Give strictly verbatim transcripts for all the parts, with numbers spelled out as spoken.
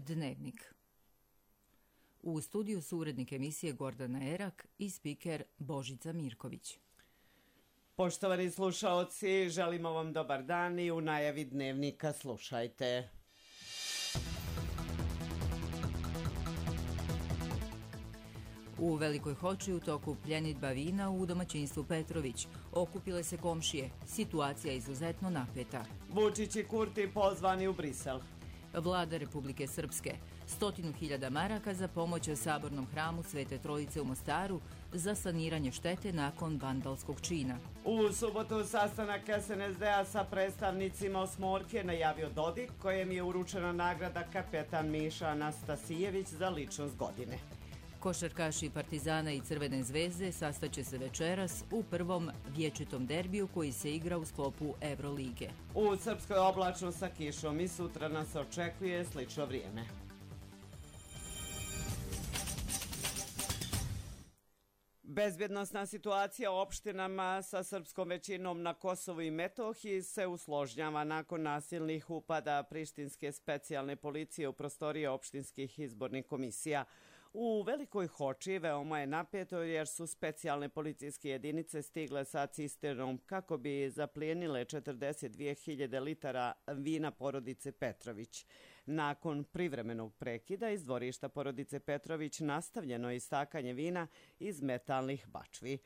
Dnevnik. U studiju su urednik emisije Gordana Erak i spiker Božica Mirković. Poštovani slušaoci, želimo vam dobar dan i u najavi Dnevnika slušajte. U Velikoj Hoči u toku pljenidba vina u domaćinstvu Petrović. Okupile se komšije. Situacija izuzetno napeta. Vučić i Kurti pozvani u Brisel. Vlada Republike Srpske. Stotinu hiljada maraka za pomoć Sabornom hramu Svete Trojice u Mostaru za saniranje štete nakon vandalskog čina. U subotu sastanak es en es de a sa predstavnicima Osmorke najavio Dodik, kojem je uručena nagrada kapetan Miša Anastasijević za ličnost godine. Košarkaši Partizana i Crvene zvezde sastaće se večeras u prvom vječitom derbiju koji se igra u sklopu Evrolige. U Srpskoj oblačno sa kišom i sutra nas očekuje slično vrijeme. Bezbjednosna situacija u opštinama sa srpskom većinom na Kosovu i Metohiji se usložnjava nakon nasilnih upada prištinske specijalne policije u prostorije opštinskih izbornih komisija. U Velikoj Hoči veoma je napeto jer su specijalne policijske jedinice stigle sa cisternom kako bi zaplijenile četrdeset dvije hiljade litara vina porodice Petrović. Nakon privremenog prekida iz dvorišta porodice Petrović nastavljeno je istakanje vina iz metalnih bačvi.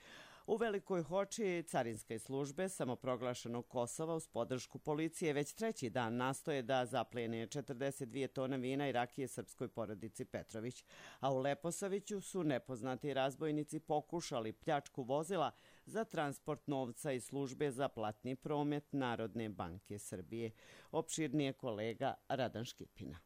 U Velikoj Hoči carinske službe samoproglašenog Kosova uz podršku policije već treći dan nastoje da zaplijene četrdeset dvije tone vina i rakije srpskoj porodici Petrović. A u Leposaviću su nepoznati razbojnici pokušali pljačku vozila za transport novca iz službe za platni promet Narodne banke Srbije. Opširnije kolega Radan Škipina.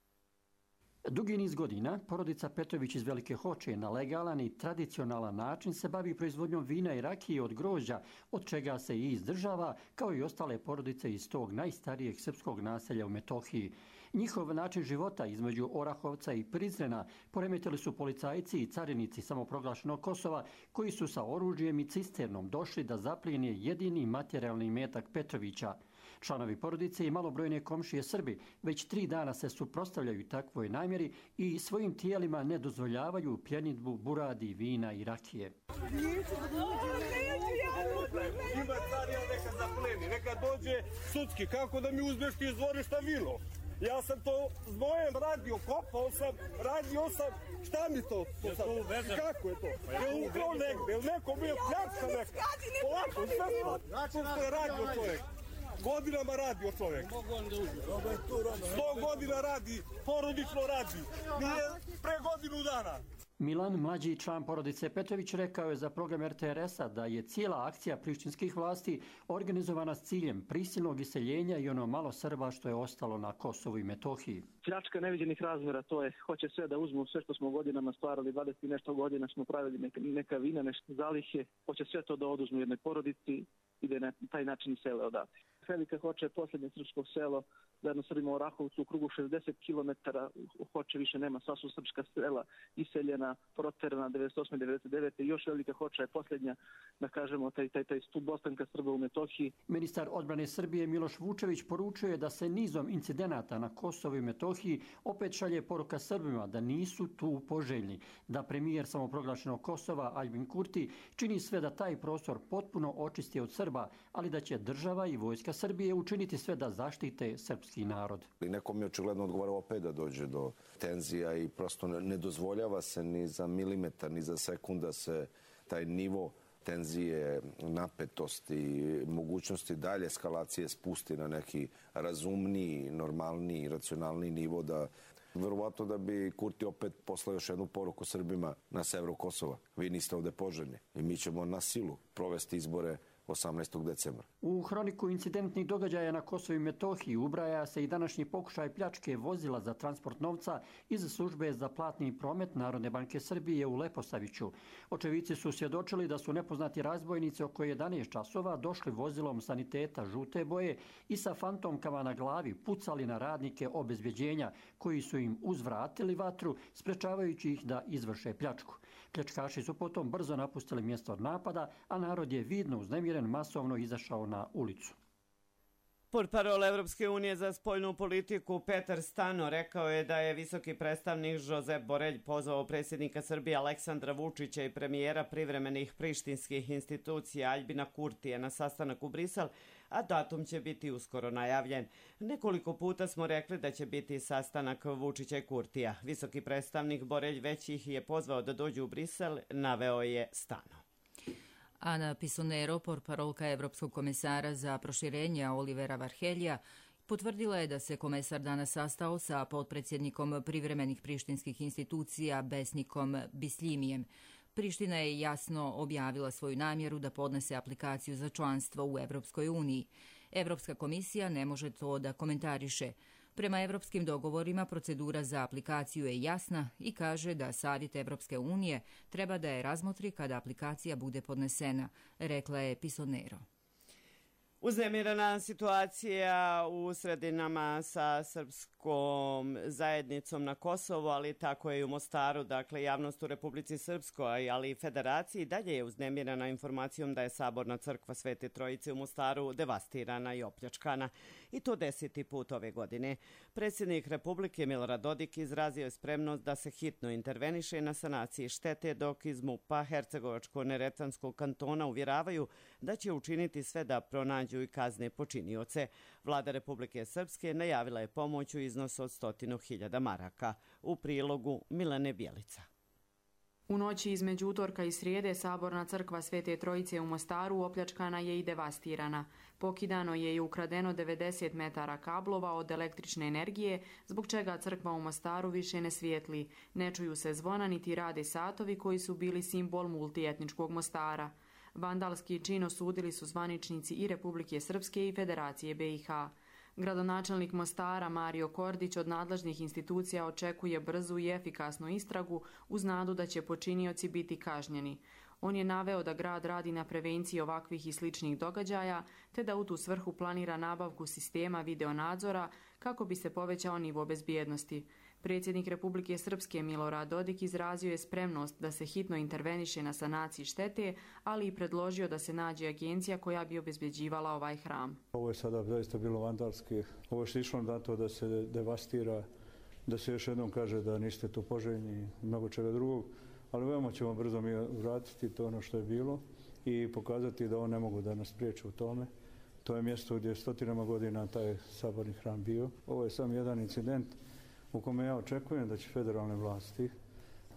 Dugi niz godina porodica Petrović iz Velike Hoče na legalan i tradicionalan način se bavi proizvodnjom vina i rakije od grožđa, od čega se i izdržava, kao i ostale porodice iz tog najstarijeg srpskog naselja u Metohiji. Njihov način života između Orahovca i Prizrena poremetili su policajci i carinici samoproglašenog Kosova, koji su sa oružjem i cisternom došli da zaplijene jedini materijalni imetak Petrovića. Članovi porodice i malobrojne komšije Srbi već tri dana se suprotstavljaju takvoj namjeri i svojim tijelima ne dozvoljavaju pljenidbu buradi, vina i rakije. Ima carija neka zapleni, neka dođe sudski, kako da mi uzmeš ti iz dvorišta vino? Ja sam to s mojem radio, kopao sam, radio sam, šta mi to? Kako je to? Je ukrao negde, je neko bio pljačka neka? Ovako, sve to je radio čovjek. Godinama radi o čovjek. Sto godina radi, porodično radi. Nije pre godinu dana. Milan, mlađi član porodice Petrović, rekao je za program er te er es a da je cijela akcija prištinskih vlasti organizovana s ciljem prisilnog iseljenja i ono malo Srba što je ostalo na Kosovu i Metohiji. Pljačka neviđenih razmjera, to je, hoće sve da uzmu, sve što smo godinama stvarali, dvadeset i nešto godina smo pravili neka, neka vina, nešto zalihe, hoće sve to da oduzmu jednoj porodici i da na taj način sele odati. Velika Hoča je posljednje srpsko selo, zajedno Srbima u Orahovcu u krugu šezdeset kilometara, u Hoče više nema, sva su srpska sela iseljena, proterana devedeset osme devedeset devete Još Velika Hoča je posljednja, da kažemo, taj, taj, taj stup ostanka Srba u Metohiji. Ministar odbrane Srbije Miloš Vučević poručuje da se nizom incidenata na Kosovu i Metohiji opet šalje poruka Srbima da nisu tu poželjni, da premijer samoproglašenog Kosova Aljbin Kurti čini sve da taj prostor potpuno očisti od Srba, ali da će država i vojska Srbije učiniti sve da zaštite srpski narod. Nekom je očigledno odgovarao opet da dođe do tenzija i prosto ne dozvoljava se ni za milimetar, ni za sekunda se taj nivo tenzije, napetosti, mogućnosti dalje eskalacije spusti na neki razumniji, normalniji, racionalniji nivo, da verovatno da bi Kurti opet poslao još jednu poruku Srbima na severu Kosova. Vi niste ovde poželjni i mi ćemo na silu provesti izbore osamnaestog decembra. U hroniku incidentnih događaja na Kosovu i Metohiji ubraja se i današnji pokušaj pljačke vozila za transport novca iz službe za platni promet Narodne banke Srbije u Leposaviću. Očevici su svjedočili da su nepoznati razbojnici oko jedanaest časova došli vozilom saniteta žute boje i sa fantomkama na glavi pucali na radnike obezbjeđenja koji su im uzvratili vatru, sprečavajući ih da izvrše pljačku. Pljačkaši su potom brzo napustili mjesto napada, a narod je vidno uznemiren masovno izašao na ulicu. Portparol Evropske unije za spoljnu politiku Petar Stano rekao je da je visoki predstavnik Josep Borelj pozvao predsjednika Srbije Aleksandra Vučića i premijera privremenih prištinskih institucija Aljbina Kurtija na sastanak u Brisel, a datum će biti uskoro najavljen. Nekoliko puta smo rekli da će biti sastanak Vučića i Kurtija. Visoki predstavnik Borelj već ih je pozvao da dođu u Brisel, naveo je Stano. Ana Pisonero, portparolka Evropskog komesara za proširenje Olivera Varheljija, potvrdila je da se komesar danas sastao sa potpredsjednikom privremenih prištinskih institucija Besnikom Bislimijem. Priština je jasno objavila svoju namjeru da podnese aplikaciju za članstvo u Evropskoj uniji. Evropska komisija ne može to da komentariše. Prema evropskim dogovorima procedura za aplikaciju je jasna i kaže da Savjet Evropske unije treba da je razmotri kada aplikacija bude podnesena, rekla je Pisonero. Uznemirena situacija u sredinama sa srpskom zajednicom na Kosovu, ali tako je i u Mostaru. Dakle, javnost u Republici Srpskoj, ali i Federaciji dalje je uznemirena informacijom da je Saborna crkva Svete Trojice u Mostaru devastirana i opljačkana. I to deseti put ove godine. Predsjednik Republike Milorad Dodik izrazio je spremnost da se hitno interveniše na sanaciji štete, dok iz MUP-a Hercegovačko-Neretvanskog kantona uvjeravaju da će učiniti sve da pronađu i kazne počinioce. Vlada Republike Srpske najavila je pomoć u iznosu od stotinu hiljada maraka. U prilogu Milane Bjelica. U noći između utorka i srijede Saborna crkva Svete Trojice u Mostaru opljačkana je i devastirana. Pokidano je i ukradeno devedeset metara kablova od električne energije, zbog čega crkva u Mostaru više ne svijetli. Ne čuju se zvona niti rade satovi koji su bili simbol multietničkog Mostara. Vandalski čin osudili su zvaničnici i Republike Srpske i Federacije B i H. Gradonačelnik Mostara Mario Kordić od nadležnih institucija očekuje brzu i efikasnu istragu uz nadu da će počinioci biti kažnjeni. On je naveo da grad radi na prevenciji ovakvih i sličnih događaja, te da u tu svrhu planira nabavku sistema videonadzora kako bi se povećao nivo bezbjednosti. Predsjednik Republike Srpske Milorad Dodik izrazio je spremnost da se hitno interveniše na sanaciji štete, ali i predložio da se nađe agencija koja bi obezbjeđivala ovaj hram. Ovo je sada zaista bilo vandalski. Ovo je išlo na to da se devastira, da se još jednom kaže da niste tu poželjni i mnogo čega drugog, ali veoma ćemo brzo mi vratiti to ono što je bilo i pokazati da on ne mogu da nas priječe u tome. To je mjesto gdje je stotinama godina taj saborni hram bio. Ovo je samo jedan incident u kome ja očekujem da će federalne vlasti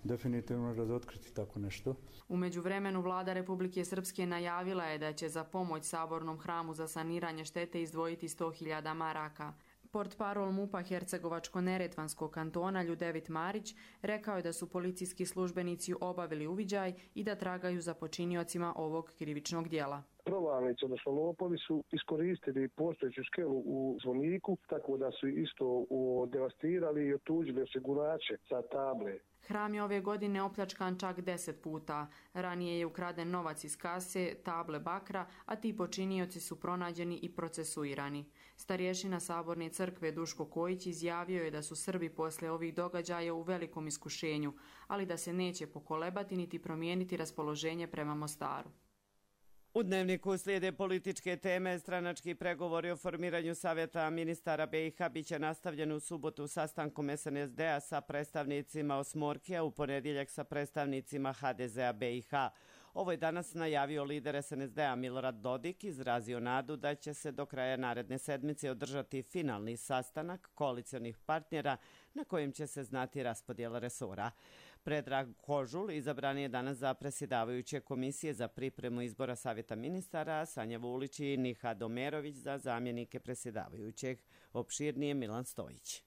definitivno razotkriti tako nešto. U međuvremenu vlada Republike Srpske najavila je da će za pomoć Sabornom hramu za saniranje štete izdvojiti sto hiljada maraka. Portparol MUP-a Hercegovačko-Neretvanskog kantona Ljudevit Marić rekao je da su policijski službenici obavili uviđaj i da tragaju za počiniocima ovog krivičnog djela. Provalnici, odnosno lopovi, su iskoristili postojeću skelu u zvoniku, tako da su isto devastirali i otuđili osigurače sa table. Hram je ove godine opljačkan čak deset puta. Ranije je ukraden novac iz kase, table bakra, a ti počinioci su pronađeni i procesuirani. Starješina Saborne crkve Duško Kojić izjavio je da su Srbi posle ovih događaja u velikom iskušenju, ali da se neće pokolebati niti promijeniti raspoloženje prema Mostaru. U Dnevniku slijede političke teme. Stranački pregovori o formiranju Savjeta ministara B i H biće nastavljeni u subotu sastankom S N S D-a sa predstavnicima Osmorkija, u ponedjeljak sa predstavnicima H D Z-a B i H. Ovo je danas najavio lider S N S D-a Milorad Dodik, izrazio nadu da će se do kraja naredne sedmice održati finalni sastanak koalicionih partnera na kojem će se znati raspodjela resora. Predrag Kožul izabran je danas za predsjedavajuće komisije za pripremu izbora Savjeta ministara, Sanja Vulić i Nihad Omerović za zamjenike predsjedavajućeg. Opširnije Milan Stojić.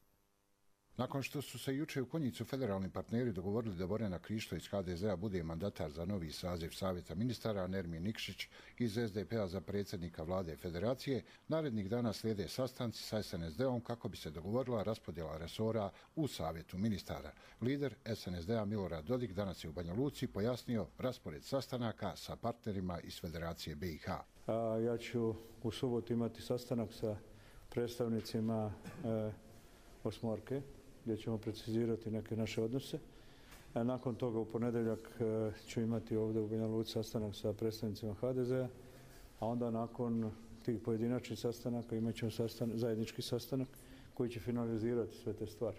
Nakon što su se juče u Konjicu federalni partneri dogovorili da Borjana Krišto iz H D Z-a bude mandatar za novi saziv Savjeta ministara, Nermin Nikšić iz S D P-a za predsjednika vlade Federacije, narednih dana slijede sastanci sa S N S D-om kako bi se dogovorila raspodjela resora u Savjetu ministara. Lider S N S D-a Milorad Dodik danas je u Banja Luci pojasnio raspored sastanaka sa partnerima iz Federacije B i H. A, ja ću u subotu imati sastanak sa predstavnicima e, Osmorke, gdje ćemo precizirati neke naše odnose. A nakon toga u ponedjeljak ću imati ovdje u Banja Luci sastanak sa predstavnicima H D Z-a, a onda nakon tih pojedinačnih sastanaka imat ćemo sastan, zajednički sastanak koji će finalizirati sve te stvari.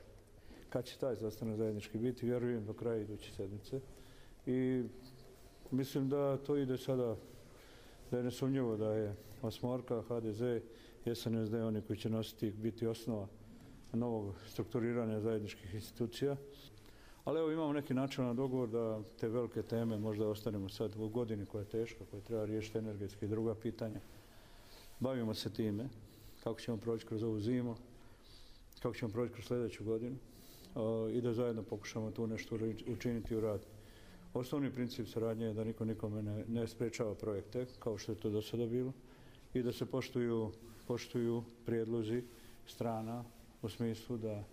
Kad će taj sastanak zajednički biti, vjerujem do kraja iduće sedmice. I mislim da to ide sada, da je nesumnjivo da je osmorka, ha de ze, es en es de oni koji će nositi biti osnova novog strukturiranja zajedničkih institucija. Ali evo imamo neki načelan dogovor da te velike teme možda ostanemo sad u godini koja je teška, koja treba riješiti energetske i druga pitanja. Bavimo se time, kako ćemo proći kroz ovu zimu, kako ćemo proći kroz sljedeću godinu i da zajedno pokušamo tu nešto učiniti u radu. Osnovni princip saradnje je da niko nikome ne, ne sprečava projekte, kao što je to do sada bilo, i da se poštuju, poštuju prijedlozi strana u smislu da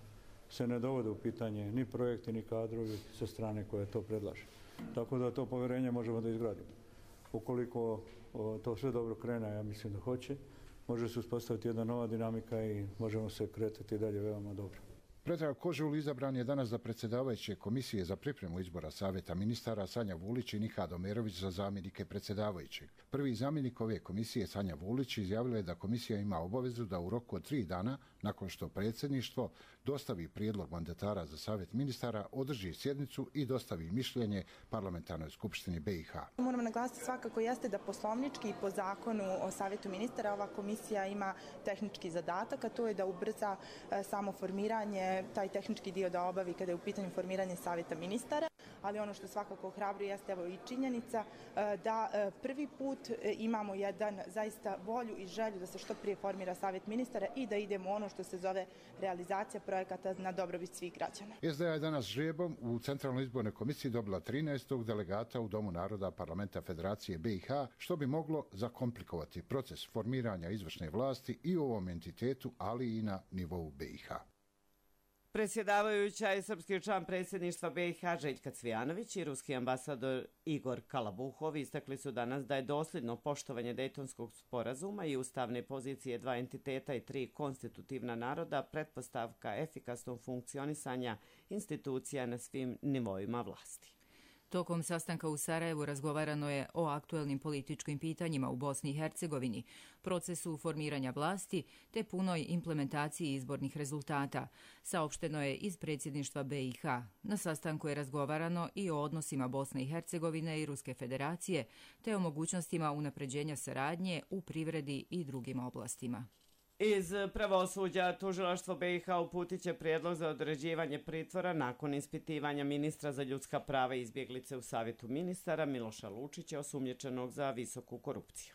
se ne dovode u pitanje ni projekti, ni kadrovi sa strane koje to predlaže. Tako da to povjerenje možemo da izgradimo. Ukoliko o, to sve dobro krene, ja mislim da hoće, može se uspostaviti jedna nova dinamika i možemo se kretati dalje veoma dobro. Predrag Kožul izabran je danas za predsjedavajuće komisije za pripremu izbora Savjeta ministara Sanja Vulić i Nihad Omerović za zamjenike predsjedavajućeg. Prvi zamjenik ove komisije Sanja Vulić izjavila je da komisija ima obavezu da u roku od tri dana, nakon što predsjedništvo dostavi prijedlog mandatara za Savjet ministara, održi sjednicu i dostavi mišljenje Parlamentarnoj skupštini be i ha. Moramo naglasiti svakako jeste da poslovnički i po zakonu o Savjetu ministara ova komisija ima tehnički zadatak, a to je da ubrza e, samo formiranje, taj tehnički dio da obavi kada je u pitanju formiranje Savjeta ministara. Ali ono što svakako ohrabruje jeste evo i činjenica e, da e, prvi put e, imamo jedan zaista volju i želju da se što prije formira Savjet ministara i da idemo ono što se zove realizacija projekata na dobrobit svih građana. es de a je danas žrebom u Centralnoj izbornoj komisiji dobila trinaestog delegata u Domu naroda Parlamenta Federacije be i ha, što bi moglo zakomplikovati proces formiranja izvršne vlasti i u ovom entitetu, ali i na nivou be i ha. Predsjedavajuća je srpski član predsjedništva be i ha Željka Cvijanović i ruski ambasador Igor Kalabuhov istakli su danas da je dosljedno poštovanje Dejtonskog sporazuma i ustavne pozicije dva entiteta i tri konstitutivna naroda pretpostavka efikasnog funkcionisanja institucija na svim nivoima vlasti. Tokom sastanka u Sarajevu razgovarano je o aktuelnim političkim pitanjima u Bosni i Hercegovini, procesu formiranja vlasti te punoj implementaciji izbornih rezultata, saopšteno je iz predsjedništva be i ha. Na sastanku je razgovarano i o odnosima Bosne i Hercegovine i Ruske federacije te o mogućnostima unapređenja saradnje u privredi i drugim oblastima. Iz pravosuđa tužilaštvo be i ha uputit će prijedlog za određivanje pritvora nakon ispitivanja ministra za ljudska prava i izbjeglice u Savjetu ministara Miloša Lučića, osumnjičenog za visoku korupciju.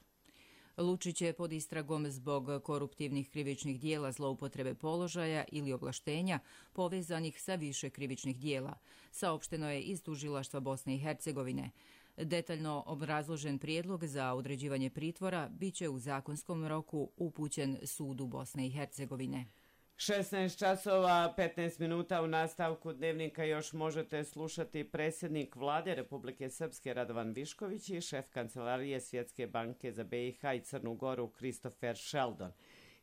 Lučić je pod istragom zbog koruptivnih krivičnih dijela zloupotrebe položaja ili ovlaštenja povezanih sa više krivičnih dijela, saopšteno je iz tužilaštva Bosne i Hercegovine. Detaljno obrazložen prijedlog za određivanje pritvora biće u zakonskom roku upućen sudu Bosne i Hercegovine. šesnaest časova petnaest minuta u nastavku dnevnika još možete slušati predsjednik vlade Republike Srpske Radovan Višković i šef kancelarije Svjetske banke za be i ha i Crnu Goru Christopher Sheldon.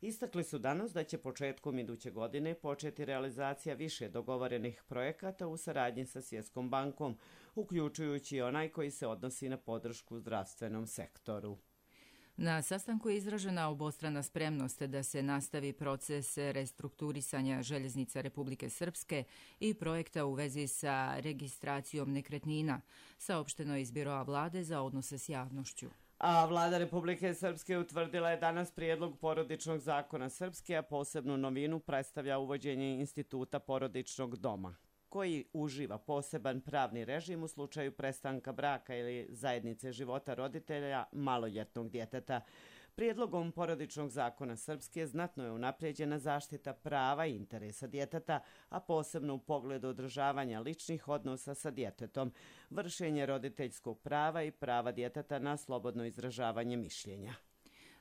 Istakli su danas da će početkom iduće godine početi realizacija više dogovorenih projekata u saradnji sa Svjetskom bankom, uključujući onaj koji se odnosi na podršku zdravstvenom sektoru. Na sastanku je izražena obostrana spremnost da se nastavi proces restrukturisanja željeznica Republike Srpske i projekta u vezi sa registracijom nekretnina, saopšteno je iz Biroa vlade za odnose s javnošću. A vlada Republike Srpske utvrdila je danas prijedlog porodičnog zakona Srpske, a posebnu novinu predstavlja uvođenje instituta porodičnog doma, koji uživa poseban pravni režim u slučaju prestanka braka ili zajednice života roditelja maloljetnog djeteta. Prijedlogom porodičnog zakona Srpske znatno je unaprijeđena zaštita prava i interesa djeteta, a posebno u pogledu održavanja ličnih odnosa sa djetetom, vršenje roditeljskog prava i prava djeteta na slobodno izražavanje mišljenja.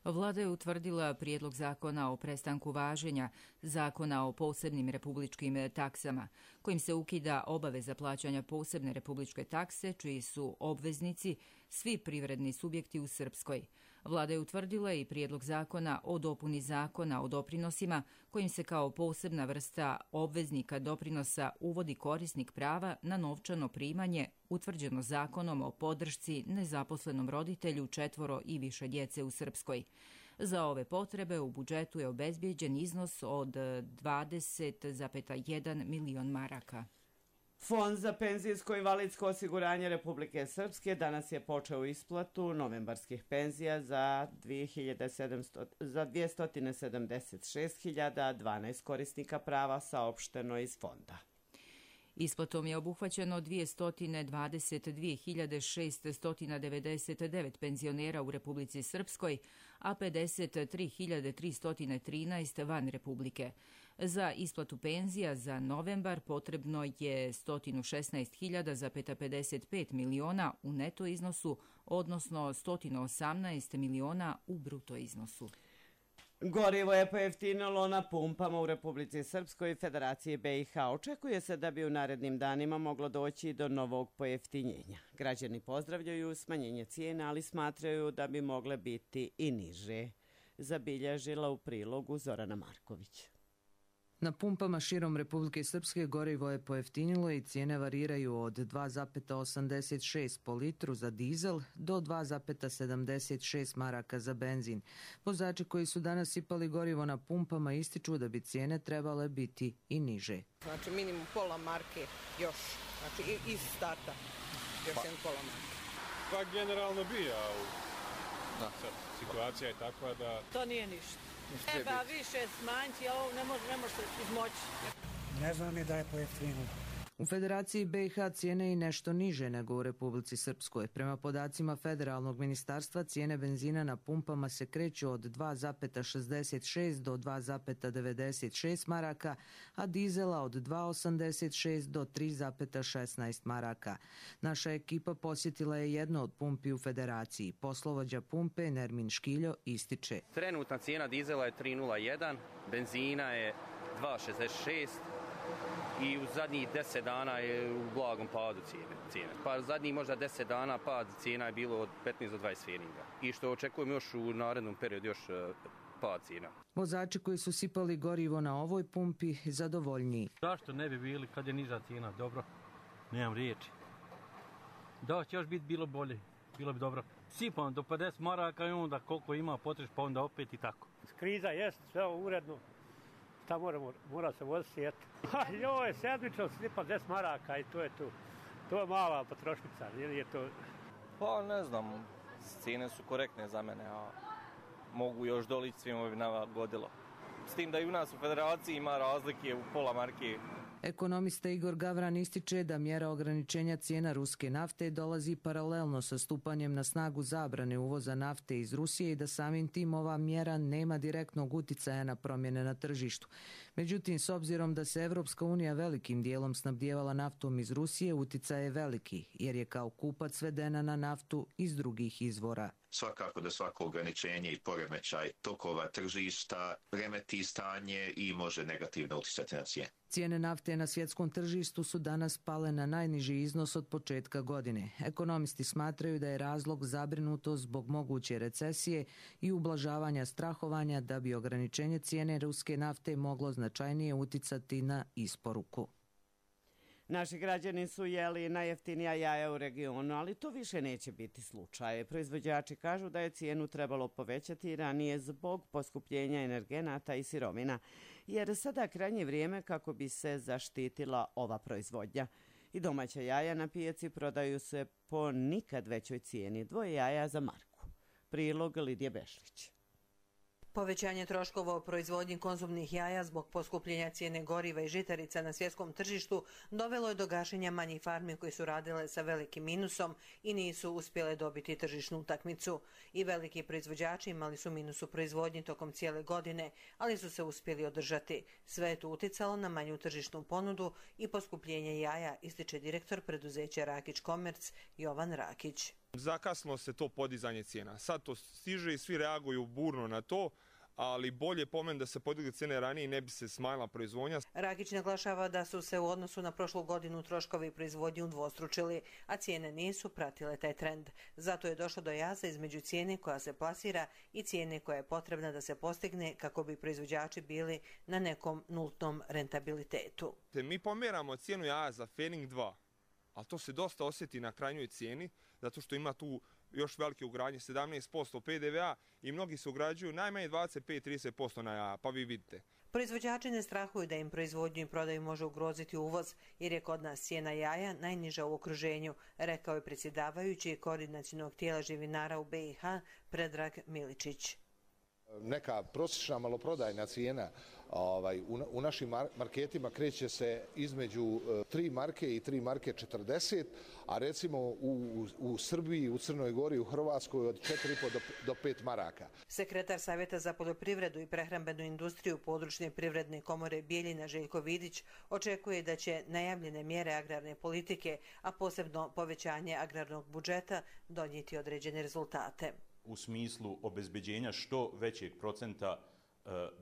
Vlada je utvrdila prijedlog zakona o prestanku važenja zakona o posebnim republičkim taksama, kojim se ukida obaveza plaćanja posebne republičke takse, čiji su obveznici svi privredni subjekti u Srpskoj. Vlada je utvrdila i prijedlog zakona o dopuni zakona o doprinosima, kojim se kao posebna vrsta obveznika doprinosa uvodi korisnik prava na novčano primanje utvrđeno zakonom o podršci nezaposlenom roditelju četvoro i više djece u Srpskoj. Za ove potrebe u budžetu je obezbijeđen iznos od dvadeset zarez jedan milion maraka. Fond za penzijsko i invalidsko osiguranje Republike Srpske danas je počeo isplatu novembarskih penzija za dvjesto sedamdeset šest hiljada dvanaest korisnika prava, saopšteno iz fonda. Isplatom je obuhvaćeno dvjesto dvadeset dvije hiljade šesto devedeset devet penzionera u Republici Srpskoj, a pedeset tri hiljade tristo trinaest van Republike. Za isplatu penzija za novembar potrebno je sto šesnaest hiljada pedeset pet miliona u neto iznosu, odnosno sto osamnaest miliona u bruto iznosu. Gorivo je pojeftinilo na pumpama u Republici Srpskoj i Federaciji B i H. Očekuje se da bi u narednim danima moglo doći do novog pojeftinjenja. Građani pozdravljaju smanjenje cijena, ali smatraju da bi mogle biti i niže. Zabilježila u prilogu Zorana Marković. Na pumpama širom Republike Srpske gorivo je pojeftinilo i cijene variraju od dva zarez osamdeset šest po litru za dizel do dva zarez sedamdeset šest maraka za benzin. Vozači koji su danas sipali gorivo na pumpama ističu da bi cijene trebale biti i niže. Znači minimum pola marke još, znači iz starta još pa, jedan pola marke. Pa generalno bija, sad situacija je takva da... To nije ništa. Treba više smanjiti, a ovo ne može, ne može se izmoći. Ne znam ni da je pojeftinilo. U Federaciji B i H cijene i nešto niže nego u Republici Srpskoj. Prema podacima Federalnog ministarstva, cijene benzina na pumpama se kreću od dva zarez šezdeset šest do dva zarez devedeset šest maraka, a dizela od dva zarez osamdeset šest do tri zarez šesnaest maraka. Naša ekipa posjetila je jedno od pumpi u Federaciji. Poslovođa pumpe Nermin Škiljo ističe. Trenutna cijena dizela je tri zarez jedan, benzina je dva zarez šezdeset šest, i u zadnjih deset dana je u blagom padu cijene. Pa zadnjih možda deset dana pad cijena je bilo od petnaest do dvadeset feninga. I što očekujemo još u narednom periodu još pad cijena. Vozači koji su sipali gorivo na ovoj pumpi zadovoljniji. Zašto ne bi bili kad je niža cijena? Dobro, nemam riječi. Da će još biti bilo bolje, bilo bi dobro. Sipam do pedeset maraka i onda koliko ima potreš pa onda opet i tako. Kriza jest, sve uredno. Šta moramo, mora se voziti, eto. Joj, sedmično slipa deset maraka i to je tu. To je mala potrošnica, ili je to... Pa ne znam, cijene su korektne za mene, a mogu još dolići svima bi nagodilo. S tim da i u nas u Federaciji ima razlike u pola marke. Ekonomista Igor Gavran ističe da mjera ograničenja cijena ruske nafte dolazi paralelno sa stupanjem na snagu zabrane uvoza nafte iz Rusije i da samim tim ova mjera nema direktnog uticaja na promjene na tržištu. Međutim, s obzirom da se Evropska unija velikim dijelom snabdijevala naftom iz Rusije, uticaj je veliki, jer je kao kupac svedena na naftu iz drugih izvora. Svakako da svako ograničenje i poremećaj tokova tržišta remeti stanje i može negativno uticati na cijene. Cijene nafte na svjetskom tržištu su danas pale na najniži iznos od početka godine. Ekonomisti smatraju da je razlog zabrinutost zbog moguće recesije i ublažavanja strahovanja da bi ograničenje cijene ruske nafte moglo značajnije uticati na isporuku. Naši građani su jeli najjeftinija jaja u regionu, ali to više neće biti slučaj. Proizvođači kažu da je cijenu trebalo povećati ranije zbog poskupljenja energenata i sirovina, jer sada krajnje vrijeme kako bi se zaštitila ova proizvodnja. I domaća jaja na pijaci prodaju se po nikad većoj cijeni, dvoje jaja za marku. Prilog Lidije Bešlić. Povećanje troškova o proizvodnji konzumnih jaja zbog poskupljenja cijene goriva i žitarica na svjetskom tržištu dovelo je do gašenja manjih farmi koji su radile sa velikim minusom i nisu uspjele dobiti tržišnu utakmicu. I veliki proizvođači imali su minus u proizvodnji tokom cijele godine, ali su se uspjeli održati. Sve je to uticalo na manju tržišnu ponudu i poskupljenje jaja, ističe direktor preduzeća Rakić Komerc Jovan Rakić. Zakasnilo se to podizanje cijena. Sad to stiže i svi reaguju burno na to, ali bolje pomen da se podigli cijene ranije i ne bi se smanjila proizvodnja. Rakić naglašava da su se u odnosu na prošlu godinu troškovi proizvodnje udvostručili, a cijene nisu pratile taj trend. Zato je došlo do jaza između cijene koja se plasira i cijene koja je potrebna da se postigne kako bi proizvođači bili na nekom nultnom rentabilitetu. Mi pomjeramo cijenu jaja za Fening dva, ali to se dosta osjeti na krajnjoj cijeni, zato što ima tu još velike ugradnje, sedamnaest posto P D V A i mnogi se ugrađuju najmanje dvadeset pet do trideset posto na jaja, pa vi vidite. Proizvođači ne strahuju da im proizvodnju i prodaju može ugroziti uvoz, jer je kod nas cijena jaja najniža u okruženju, rekao je predsjedavajući koordinacionog tijela živinara u B i H Predrag Miličić. Neka prosječna maloprodajna cijena ovaj, u, u našim marketima kreće se između tri marke i tri marke četrdeset, a recimo u, u Srbiji, u Crnoj Gori, u Hrvatskoj od četiri i po do, do pet maraka. Sekretar Savjeta za poljoprivredu i prehrambenu industriju područne privredne komore Bijeljina Željko Vidić očekuje da će najavljene mjere agrarne politike, a posebno povećanje agrarnog budžeta, donijeti određene rezultate. U smislu obezbeđenja što većeg procenta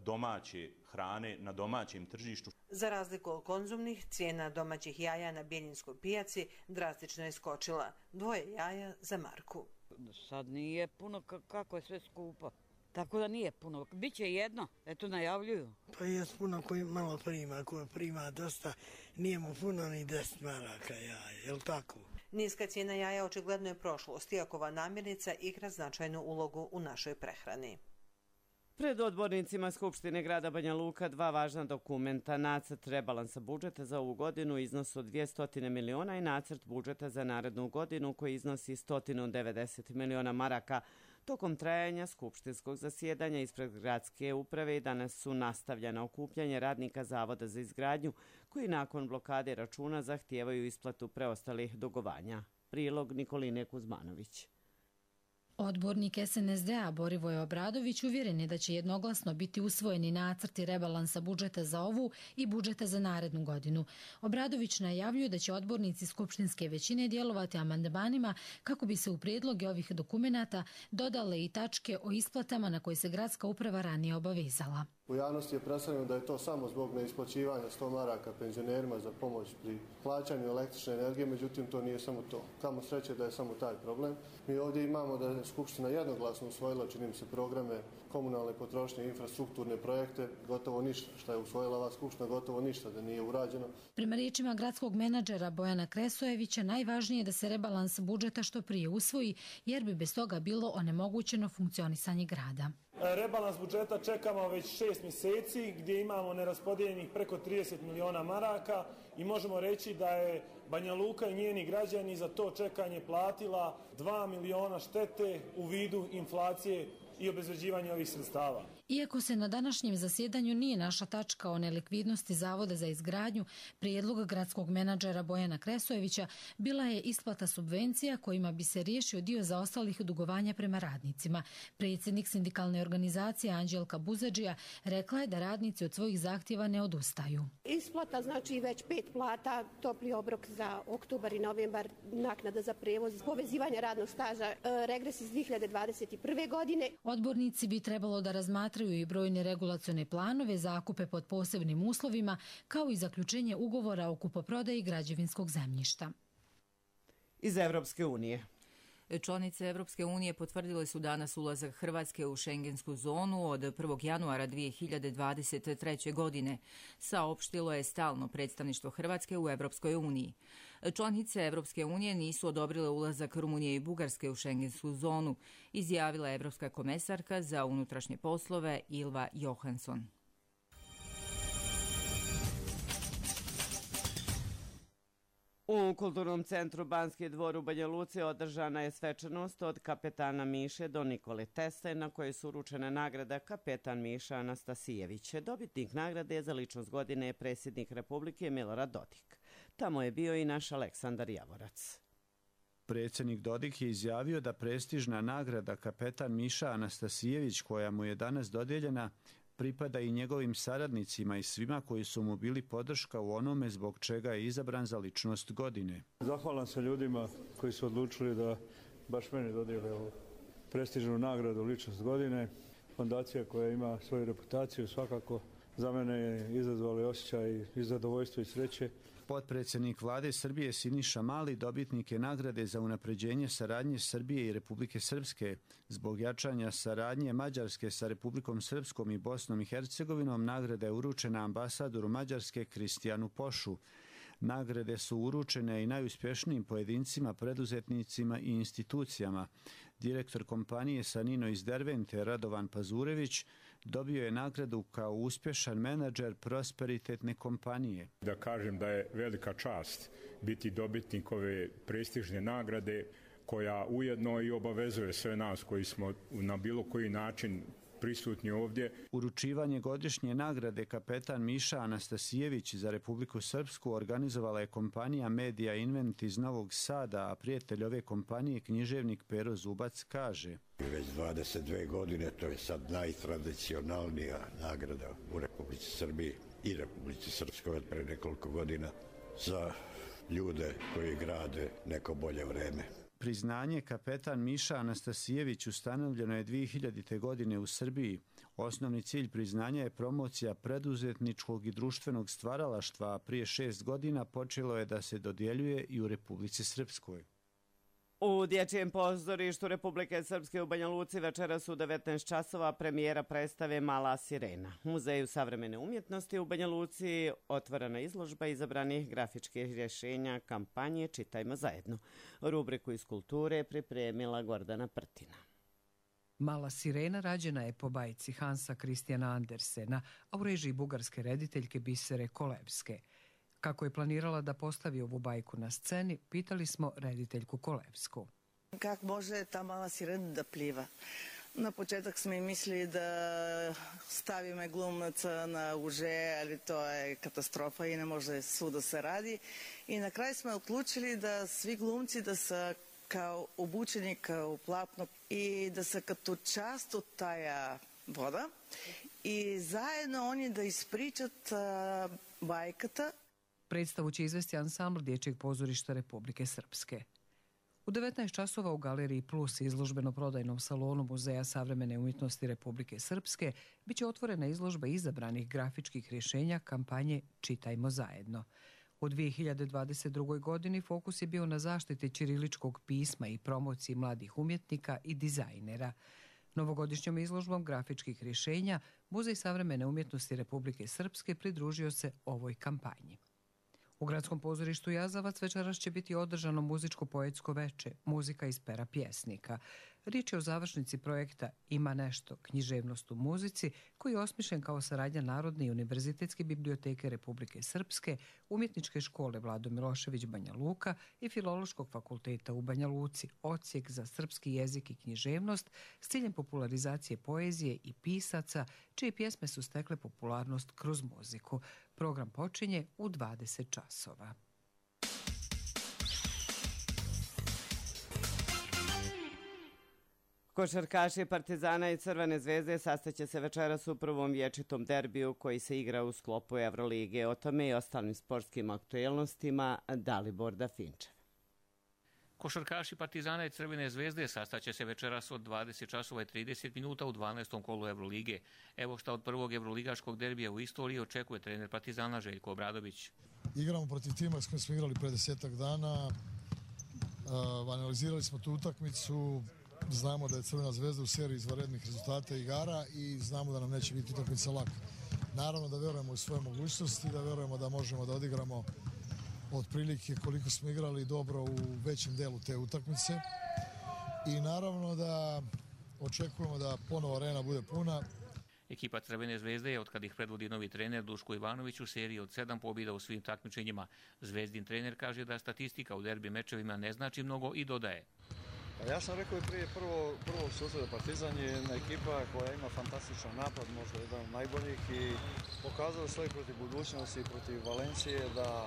domaće hrane na domaćem tržištu. Za razliku od konzumnih, cijena domaćih jaja na bijeljinskoj pijaci drastično je skočila. Dvoje jaja za marku. Sad nije puno kako je sve skupo. Tako da nije puno. Biće jedno, eto najavljuju. Pa je puno koji malo prima, koji prima dosta, nije mu puno ni deset maraka jaja, je li tako? Niska cijena jaja očigledno je prošlost, iako ova namirnica igra značajnu ulogu u našoj prehrani. Pred odbornicima Skupštine grada Banja Luka dva važna dokumenta, nacrt rebalansa budžeta za ovu godinu u iznosu od dvjesto miliona i nacrt budžeta za narednu godinu koji iznosi sto devedeset miliona maraka. Tokom trajanja skupštinskog zasjedanja ispred gradske uprave danas su nastavljena okupljanje radnika Zavoda za izgradnju koji nakon blokade računa zahtijevaju isplatu preostalih dugovanja. Prilog Nikoline Kuzmanović. Odbornik S N S D-a Borivoje Obradović uvjeren je da će jednoglasno biti usvojeni nacrti rebalansa budžeta za ovu i budžeta za narednu godinu. Obradović najavljuje da će odbornici skupštinske većine djelovati amandmanima kako bi se u prijedloge ovih dokumenata dodale i tačke o isplatama na koje se gradska uprava ranije obavezala. U javnosti je predstavljeno da je to samo zbog neisplaćivanja sto maraka penzionerima za pomoć pri plaćanju električne energije, međutim to nije samo to. Kamo sreće da je samo taj problem. Mi ovdje imamo da je Skupština jednoglasno usvojila, čini mi se, programe komunalne potrošnje i infrastrukturne projekte, gotovo ništa. Šta je usvojila ova Skupština, gotovo ništa da nije urađeno. Prema riječima gradskog menadžera Bojana Kresojevića, najvažnije je da se rebalans budžeta što prije usvoji, jer bi bez toga bilo onemogućeno funkcionisanje grada. Rebalans budžeta čekamo već šest mjeseci gdje imamo neraspodijeljenih preko trideset miliona maraka i možemo reći da je Banja Luka i njeni građani za to čekanje platila dva miliona štete u vidu inflacije i obezvređivanja ovih sredstava. Iako se na današnjem zasjedanju nije našla tačka o nelikvidnosti Zavoda za izgradnju, prijedlog gradskog menadžera Bojana Kresojevića bila je isplata subvencija kojima bi se riješio dio zaostalih dugovanja prema radnicima. Predsjednik sindikalne organizacije Anđelka Buzadžija rekla je da radnici od svojih zahtjeva ne odustaju. Isplata znači već pet plata, topli obrok za oktobar i novembar, naknada za prevoz, povezivanje radnog staža, regres iz dvije hiljade dvadeset prve. godine. Odbornici bi trebalo da razmatraju i brojne regulacione planove, zakupe pod posebnim uslovima, kao i zaključenje ugovora o kupoprodaji građevinskog zemljišta. Iz Evropske unije. Članice Evropske unije potvrdile su danas ulazak Hrvatske u šengensku zonu od prvog januara dvije hiljade dvadeset treće. godine, saopštilo je stalno predstavništvo Hrvatske u Evropskoj uniji. Članice Evropske unije nisu odobrile ulazak Rumunije i Bugarske u šengensku zonu, izjavila je Evropska komesarka za unutrašnje poslove Ylva Johansson. U Kulturnom centru Banski dvor u Banja Luci održana je svečanost od kapetana Miše do Nikole Tesle, na kojoj su uručene nagrada kapetan Miša Anastasijević. Dobitnik nagrade za ličnost godine je predsjednik Republike Milorad Dodik. Tamo je bio i naš Aleksandar Javorac. Predsjednik Dodik je izjavio da prestižna nagrada kapetan Miša Anastasijević, koja mu je danas dodijeljena, pripada i njegovim saradnicima i svima koji su mu bili podrška u onome zbog čega je izabran za ličnost godine. Zahvalan sam ljudima koji su odlučili da baš meni dodijele ovu prestižnu nagradu ličnost godine. Fondacija koja ima svoju reputaciju svakako za mene je izazvala osjećaj i zadovoljstvo i sreće. Potpredsjednik vlade Srbije Siniša Mali dobitnik je nagrade za unapređenje saradnje Srbije i Republike Srpske. Zbog jačanja saradnje Mađarske sa Republikom Srpskom i Bosnom i Hercegovinom nagrada je uručena ambasadoru Mađarske Kristijanu Pošu. Nagrade su uručene i najuspješnijim pojedincima, preduzetnicima i institucijama. Direktor kompanije Sanino iz Dervente, Radovan Pazurević, dobio je nagradu kao uspješan menadžer prosperitetne kompanije. Da kažem da je velika čast biti dobitnik ove prestižne nagrade koja ujedno i obavezuje sve nas koji smo na bilo koji način prisutni ovdje. Uručivanje godišnje nagrade kapetan Miša Anastasijević za Republiku Srpsku organizovala je kompanija Media Invent iz Novog Sada, a prijatelj ove kompanije, književnik Pero Zubac, kaže: Već dvadeset dve godine to je sad najtradicionalnija nagrada u Republici Srbiji i Republici Srpskoj od pre nekoliko godina za ljude koji grade neko bolje vreme. Priznanje kapetan Miša Anastasijević ustanovljeno je dvije hiljadite. godine u Srbiji. Osnovni cilj priznanja je promocija preduzetničkog i društvenog stvaralaštva, a prije šest godina počelo je da se dodjeljuje i u Republici Srpskoj. U Dječjem pozorištu Republike Srpske u Banja Luci večeras u devetnaest časova premijera predstave Mala sirena. U Muzeju savremene umjetnosti u Banja Luci otvorena izložba izabranih grafičkih rješenja kampanje Čitajmo zajedno. Rubriku iz kulture pripremila Gordana Prtina. Mala sirena rađena je po bajci Hansa Kristijana Andersena, a u režiji bugarske rediteljke Bisere Kolevske. Kako je planirala da postavi ovu bajku na sceni, pitali smo rediteljku Kolevsku. Kako može ta mala sirena da pliva? Na početak smo i mislili da stavime glumaca na uže, ali to je katastrofa i ne može svuda se radi. I na kraju smo odlučili da svi glumci da se kao obučeni kao platno i da se като част от тая вода i zajedno oni da ispričat bajkata. Predstavu će izvesti ansambl Dječjeg pozorišta Republike Srpske. U devetnaest časova u Galeriji Plus, izložbeno-prodajnom salonu Muzeja savremene umjetnosti Republike Srpske, bit će otvorena izložba izabranih grafičkih rješenja kampanje Čitajmo zajedno. U dvije hiljade dvadeset drugoj. godini fokus je bio na zaštiti ćiriličkog pisma i promociji mladih umjetnika i dizajnera. Novogodišnjom izložbom grafičkih rješenja Muzej savremene umjetnosti Republike Srpske pridružio se ovoj kampanji. U Gradskom pozorištu Jazavac večeras će biti održano muzičko-poetsko veče, muzika iz pera pjesnika. Riječ je o završnici projekta Ima nešto, književnost u muzici, koji je osmišljen kao saradnja Narodne i univerzitetske biblioteke Republike Srpske, Umjetničke škole Vlado Milošević Banja Luka i Filološkog fakulteta u Banja Luci, odsjek za srpski jezik i književnost s ciljem popularizacije poezije i pisaca, čije pjesme su stekle popularnost kroz muziku. Program počinje u dvadeset časova. Košarkaši Partizana i Crvene zvezde sastaće se večeras u prvom vječitom derbiju koji se igra u sklopu Evrolige. O tome i ostalim sportskim aktuelnostima Dalibor Dafinčev. Košarkaši Partizana i Crvene zvezde sastaće se večeras od dvadeset časova i trideset minuta u dvanaestom kolu Evrolige. Evo šta od prvog evroligaškog derbija u istoriji očekuje trener Partizana Željko Obradović. Igramo protiv tima s kojim smo igrali pre desetak dana. Uh, analizirali smo tu utakmicu. Znamo da je Crvena zvezda u seriji izvanrednih rezultata igara i znamo da nam neće biti utakmica laka. Naravno da verujemo u svoje mogućnosti, da verujemo da možemo da odigramo otprilike koliko smo igrali dobro u većem delu te utakmice. I naravno da očekujemo da ponovo arena bude puna. Ekipa Crvene zvezde je, od kad ih predvodi novi trener Duško Ivanović, u seriji od sedam pobjeda u svim takmičenjima. Zvezdin trener kaže da statistika u derbi mečevima ne znači mnogo i dodaje. Ja sam rekao i prije prvo, prvog susreta, Partizan je jedna ekipa koja ima fantastičan napad, možda jedan od najboljih i pokazala svoje protiv budućnosti i protiv Valencije da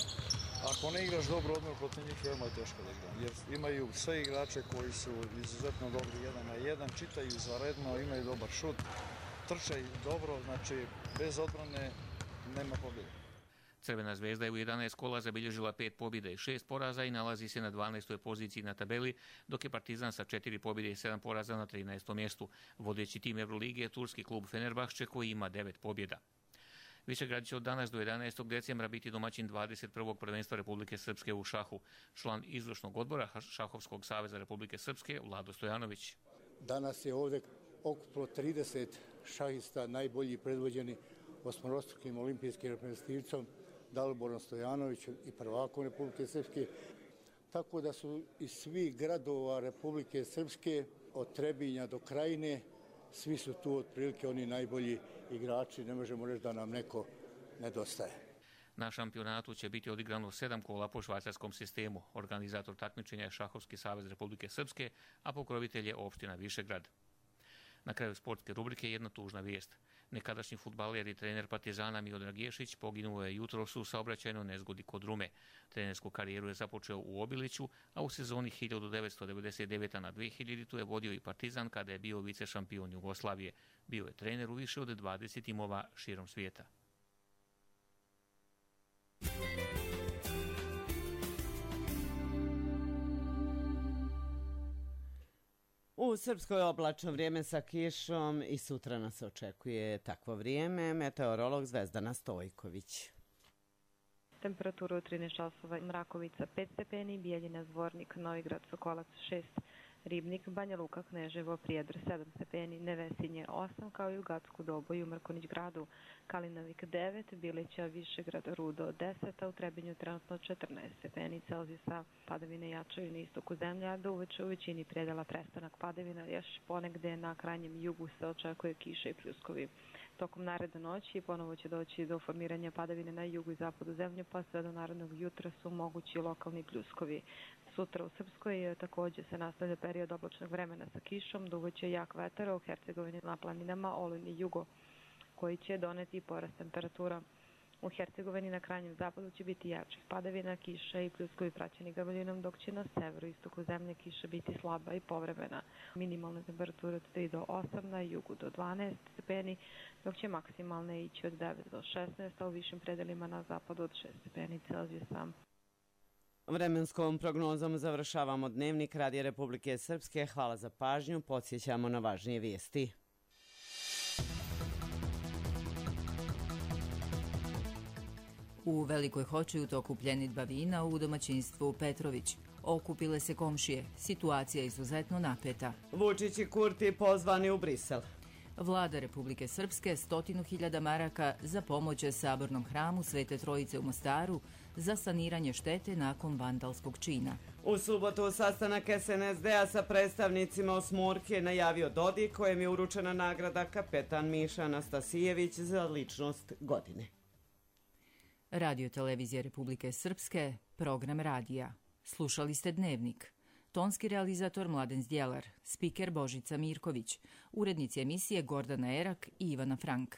ako ne igraš dobro odmah protiv njih, veoma je teško da igram. Jer imaju sve igrače koji su izuzetno dobri jedan na jedan, čitaju izvanredno, imaju dobar šut, trče dobro, znači bez odbrane nema pobjede. Crvena zvezda je u jedanaest kola zabilježila pet pobjeda i šest poraza i nalazi se na dvanaestoj poziciji na tabeli, dok je Partizan sa četiri pobjede i sedam poraza na trinaestom mjestu. Vodeći tim Evrolige je turski klub Fenerbahče koji ima devet pobjeda. Višegrad će od danas do jedanaestog decembra biti domaćin dvadeset prvog prvenstva Republike Srpske u šahu. Član izvršnog odbora Šahovskog saveza Republike Srpske Vlado Stojanović. Danas je ovdje okupilo trideset šahista, najbolji predvođeni osmorostrukim olimpijskim reprezentativcom Daliborom Stojanovićem i prvakom Republike Srpske. Tako da su iz svih gradova Republike Srpske, od Trebinja do Krajine, svi su tu otprilike oni najbolji igrači, ne možemo reći da nam neko nedostaje. Na šampionatu će biti odigrano sedam kola po švajcarskom sistemu. Organizator takmičenja je Šahovski savez Republike Srpske, a pokrovitelj je opština Višegrad. Na kraju sportske rubrike jedna tužna vijest. Nekadašnji fudbaler i trener Partizana Miodrag Ješić poginuo je jutros u saobraćajnoj nezgodi kod Rume. Trenersku karijeru je započeo u Obiliću, a u sezoni hiljadu devetsto devedeset devete na dve hiljadite je vodio i Partizan kada je bio vice šampion Jugoslavije. Bio je trener u više od dvadeset timova širom svijeta. U Srpskoj oblačno vrijeme sa kišom i sutra nas očekuje takvo vrijeme. Meteorolog Zvezdana Stojković. Temperaturu od trinaest časova, Mrakovica pet stepeni, Bijeljina, Zvornik, Novigrad, Sokolac šest, Ribnik, Banja Luka, Kneževo, Prijedor sedam stepeni, Nevesinje osam, kao i u Gacku Doboju, Mrkonić gradu, Kalinovik devet, Bilića, Višegrad, Rudo deset, a u Trebinju trenutno četrnaest stepeni Celzijusa. Padavine jačaju na istoku zemlje, a do uveče u većini predela prestanak padavina, još ponegde na krajnjem jugu se očekuje kiša i pljuskovi. Tokom naredne noći ponovo će doći do formiranja padavine na jugu i zapadu zemlje, pa sve do narednog jutra su mogući lokalni pljuskovi. Sutra u Srpskoj također se nastavlja period oblačnog vremena sa kišom, duvaće jak vetar u Hercegovini na planinama, Olin i Jugo, koji će doneti porast temperatura. U Hercegovini na krajnjem zapadu će biti jačih padavina, kiša i pljuskovi praćeni grmljinom, dok će na severu i istoku zemlje kiša biti slaba i povremena. Minimalne temperature od tri do osam, na jugu do dvanaest stepeni, dok će maksimalne ići od devet do šesnaest, a u višim predelima na zapadu od šest stepeni Celzijusa. Vremenskom prognozom završavamo dnevnik Radija Republike Srpske. Hvala za pažnju. Podsjećamo na važnije vijesti. U Velikoj Hoči u toku pljenidba vina u domaćinstvu Petrović. Okupile se komšije. Situacija je izuzetno napeta. Vučić i Kurti pozvani u Brisel. Vlada Republike Srpske stotinu hiljada maraka za pomoć Sabornom hramu Svete Trojice u Mostaru za saniranje štete nakon vandalskog čina. U subotu sastanak S N S D-a sa predstavnicima Osmurke je najavio Dodik, kojem je uručena nagrada kapetan Miša Anastasijević za ličnost godine. Radio Televizija Republike Srpske, program radija. Slušali ste Dnevnik. Tonski realizator Mladen Zdjelar, spiker Božica Mirković, urednici emisije Gordana Erak i Ivana Frank.